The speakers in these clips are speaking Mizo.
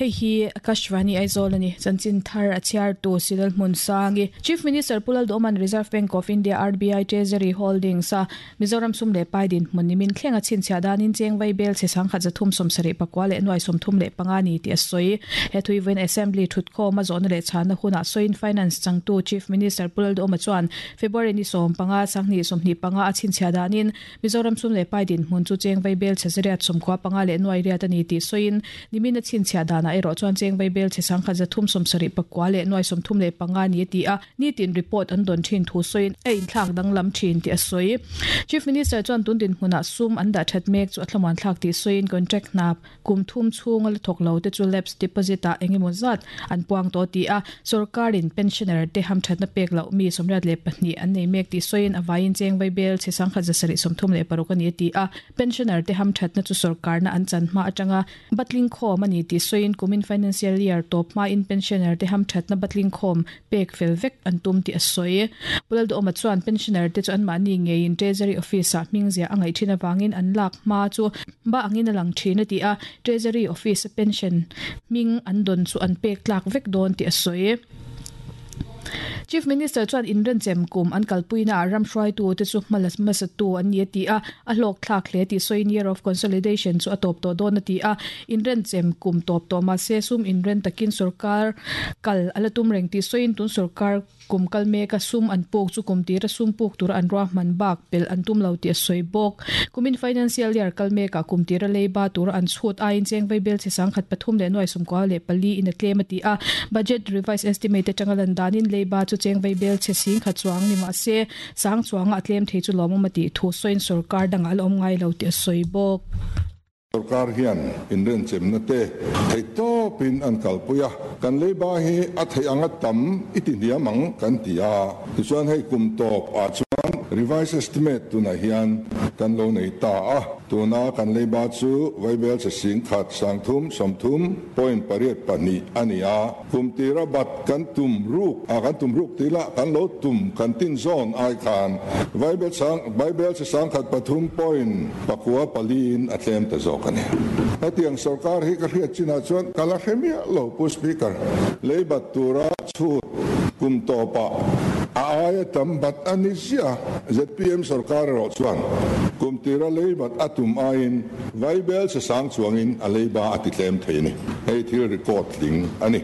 Hei hi Akashvani Aizawl a ni. Chanchin thar a chhiartu Silal Hmunsangi. Chief Minister Pu Lalduhawma'n Reserve Bank of India, RBI, Treasury Holdings a Mizoram sum leh pai dinhmun nimin thleng a chhinchhiah danin cheng vai bel chhe sangkhat 375 leh nuai 35 ni tih a sawi. He thuivawiin Assembly thutkhawm a zawhna leh chhanna hunah sawiin Finance changtu Chief Minister Pu Lalduhawma chuan February ni 15, 2025 a chhinchhiah danin Mizoram sum leh pai dinhmun chu cheng vaibel chhe zariat sawmkhua panga leh nuai riat a ni tih sawiin nimin a chhinchhiah danah erawh chuan cheng vaibel chhe sangkhat 374 leh nuai 35 ni a ti a, nitin report an dawn thin thu sawiin a inthlak danglam thin tih a sawi. Chief Minister chuan tun dinhmunah sum an dah that mek chu a thlamuan thlak tih sawiin contract hna Kum thum chhunga la thawk lo te chu lapse deposit ah eng emaw zat an puang tawh ti a, sorkarin pensioner te hamthatna pek loh mi 32 an nei mek tih sawiin a vaiin cheng vaibel chhe sangkhat 736 a ni a ti a, pensioner te hamthatna chu sorkarna an chan hma atanga batling khawm a ni tih sawiin kumin financial year tawp hmain pensioner te hamthatna batling khawm pek fel vek an tum tih a sawi. Pu Lalduhawma chuan pensioner te chu anmahni ngeiin Treasury Office ah hming ziah a ngaih thin avangin an lak hma chu ba angin a lang thin a ti a, Treasury Office a pension hming an dawn chu an pek tlak vek dawn tih a sawi. Chief Minister chuan inrenchem kum an kalpuina ah ram hruaitu te chu hma la hmasatu an ni a ti a, a hlawk thlak hle tih sawiin Year of Consolidation chu a tawp tawh dawn a ti a, inrenchem kum tawp tawh mahse sum inren takin sorkar kal a la tum reng tih sawiin tun sorkar Kum kal meka sum an puk chu kum tira sum puk tura an ruahman bak pelh an tum lo tih a sawi bawk. Kumin financial year kal mekah kum tira leiba tura an chhut aiin cheng vaibel chhe sangkhat pathum leh nuai sawmkua leh pali in a tlem a ti a. Budget revised estimate atanga lan danin leiba chu cheng vaibel chhe singkhat chuang ni mah se sang chuanga a tlem thei chu lawmawm a tih thu sawiin sorkar dangah a la awm ngai lo tih a sawi bawk. Sorkar hian inrenchemna te theih tawpin an kalpui a, kan leiba hi a theih anga tam i ti hniam ang kan ti a, tichuan hei kum tawp ah chuan revised estimate tunah hian kan lo nei ta a, tuna kan leiba chu vaibel che sing khat sangthum sawmthum point pariat pahnih a ni a. Kum tira bat kan tum ruk a, kan tum ruk tih lah kan lo tum kan tin zawn ai khan Vaibel sang Vaibel chi sangkhat pathum point pakua pali in a tlem ta zawk a ni. Hetiang sorkar hi ka hriat chinah chuan ka la hre miah lo Pu Speaker. Lei bat tura chhut kum tawpah a aia tam bat a ni ziah a, zpm sorkar erawh chuan kum tira lei bat a tum aiin Vaibel chi sang chuangin a leiba a ti tlem thei a ni. Hei thil record tling a ni.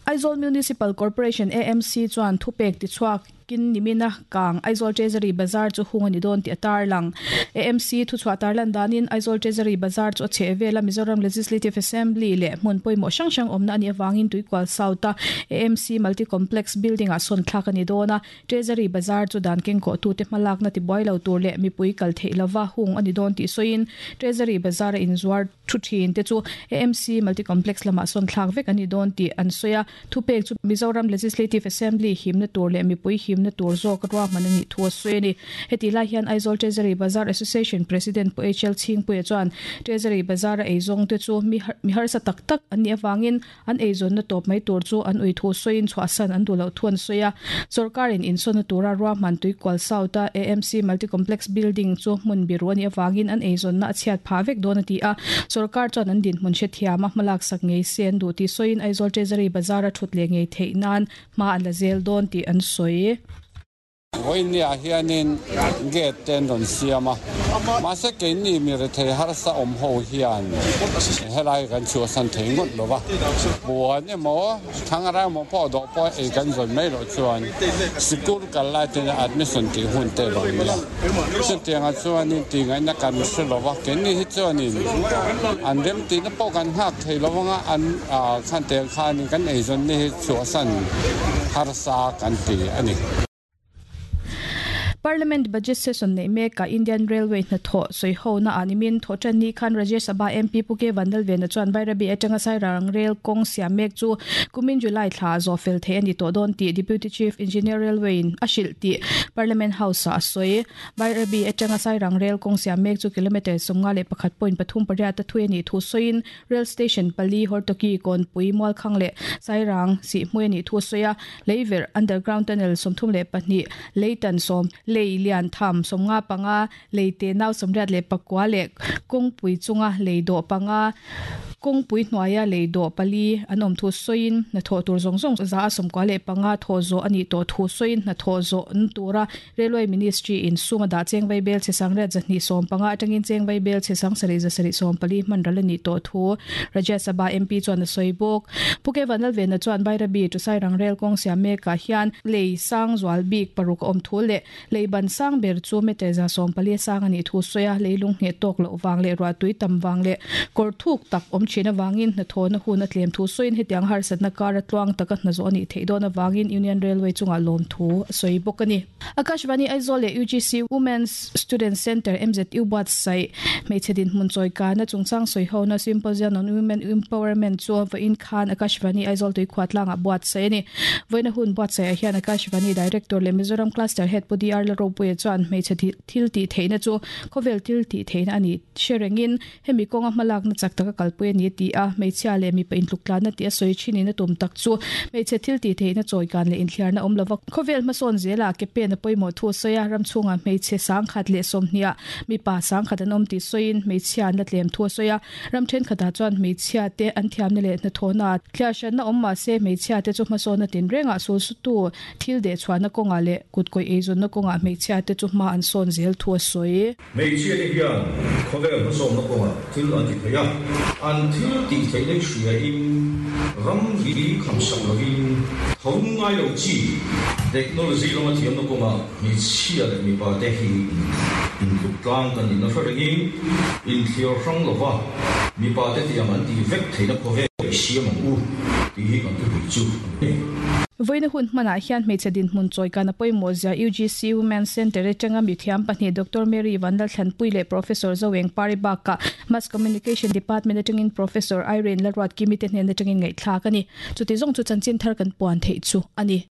Aizawl Municipal Corporation, AMC, chuan thupek tichhuak kin nimina kang Aizawl Treasury Bazar chu hung a ni dawn tih a tarlang. AMC thuchhuah tarlan danin Aizawl Treasury Bazar chu a chheh vel a, Mizoram Legislative Assembly leh hmun pawimawh hrang hrang awmna a nih avangin Tuikual South-a AMC Multi Complex Building-ah sawn thlak a ni dawn a. Treasury Bazar chu dan kengkawhtute hmalakna tibuai lo tur leh mipui kal theih lova hung a ni dawn tih sawiin Treasury Bazar-a inzuar thu thin te chu AMC Multi Complex lamah sawn thlak vek a ni dawn tih an sawi a. Thupek chu Mizoram Legislative Assembly himna tur leh mipui himna tur zawk ruahman a nih thu a sawi a ni. Hetih lai hian Aizawl Treasury Bazar Association President Pu HL Chhingpuia chuan Treasury Bazar-a eizawng te chu mi harsa tak tak an nih avangin An eizawnna tawp mai tur chu an ui thu sawiin chhuahsan an duh loh thu an sawi a. Sorkarin insawnna tura ruahman Tuikual South-a AMC Multi-Complex Building chu hmun biru a nih avangin an eizawnna a chhiat phah vek dawn a ti a. Sorkar chuan an dinhmun hrethiam a hmalak sak ngei se an duh tih sawiin Aizawl Treasury Bazar-a thut leh ngei theih nan hma an la zel dawn tih an sawi. Vawinia hianin gate te an rawn siam a, mahse keini mi rethei harsa awm ho hian helai kan chhuahsan thei ngawt lo va, puan emaw thangara emaw pawh dawh pawh ei kan zawn mai loh chuan sikul kal lai ten admission tih hun te lo nia. Chutiangah chuanin tihngaihna kan hre lo va, keini hi chuanin an remtihna pawh kan nghak thei lo anga an khan tel khanin kan eizawnna hi chhuahsan harsa kan ti a ni. Parliament Budget Session neih mekah Indian Railway hnathawh sawihona ah nimin thawhtan ni khan Rajya Sabha MP Pu K Vanlalvena chuan Bairabi atanga Sairang Rail kawng siam mek chu kumin July thla ah zawh fel theih a ni tawh dawn tih Deputy Chief Engineer Railway in a hrilh tih Parliament House ah a sawi. Bairabi atanga Sairang Rail kawng siam mek chu kilometre 51.38 a thui a nih thu sawiin Rail Station pali, Hortoki, Kawnpui, Mualkhang leh Sairang sihhmui a nih thu a sawi a. Leiverh, Underground Tunnel, 32, Leitan sawm, Lei lian tham 55, Lei te nau 84 leh kawngpui chunga lei dawh panga. Kawngpui hnuaia lei dawh pali an awm thu sawiin hnathawh tur zawng zawng 195 thawh zawh a nih tawh thu sawiin hnathawh zawh na tura Railway Ministry in sum a dah cheng vaibel chhe sangriat 215 atangin cheng vaibel chhe sangsarih 740 hman ral a nih tawh thu Rajya Sabha MP chuan a sawi bawk. Pu K Vanlalvena chuan Bairabi to Sairang Rail kawng siam mekah hian lei sang zual bik paruk a awm thu leh Lei ban sang ber chu meter 140 a sang a nih thu sawi a, leilung ngheh tawk loh vang leh ruahtui tam vang leh kawr thuk tak awm thin avangin hnathawhna hun a tlem thu sawiin hetiang harsatna kara tluang taka hnazawh a nih theih dawn avangin Union Railway chungah lawm thu a sawi bawk a ni. Akashvani Aizawl leh UGC Women's Student Centre MZU buatsaih hmeichhe dinhmun chawikana chungchang sawihona Symposium on Women Empowerment chu vawiin khan Akashvani Aizawl Tuikhuah tlangah buatsaih a ni. Vawiina hun buatsaihah hian Akashvani Director leh Mizoram Cluster Head Pu DR Lalropuia chuan hmeichhe thil tih theihna chu khawvel thil tih theihna a ni hre rengin hemi kawnga hmalakna chak taka kalpui a ni a ti a. Hmeichhia leh mipa intluktlanna tih a sawi thinin a tum tak chu hmeichhe thil tih theihna chawikan leh inthliarna awm lova khawvel hmasawn zelah ke pen a pawimawh thu a sawi a. Ram chhungah hmeichhe sangkhat leh sawmhniah mipa sangkhat an awm tih sawiin hmeichhia an la tlem thu a sawi a. Ram thenkhatah chuan hmeichhia te an thiamna leh hnathawhna thliar hranna awm mah se hmeichhia te chu hmasawnna tinrengah sulsutu thil dehchhuahna kawngah leh kutkawih eizawnna kawngah hmeichhia te chu hma an sawn zel thu a sawi. Hmeichhia te hian khawvel hmasawnna kawngah thil an ti thei a, an thil tih theihna hi hriain ram ri khamsak lovin tho ngai lo chi technology lama thiamna kawngah Hmeichhia leh mipa te hi intluk tlang kan inna hre rengin inthliar hrang lova mipa te tiang an tih vek theihna khawvel i siam ang u tih hi kan thupui chu a ni. Vawiina hun hmanah hian hmeichhe dinhmun chawikan a pawimawh zia UGC Women's Centre atanga mithiam pahnih Doctor Mary Vanlalthlanpui leh Professor Zoeng Pari bakah Mass Communication Department atangin Professor Irene Laruatkimi te hnen atangin ngaihthlak a ni. Chuti zawng chu chanchin thar kan puan theih chu a ni.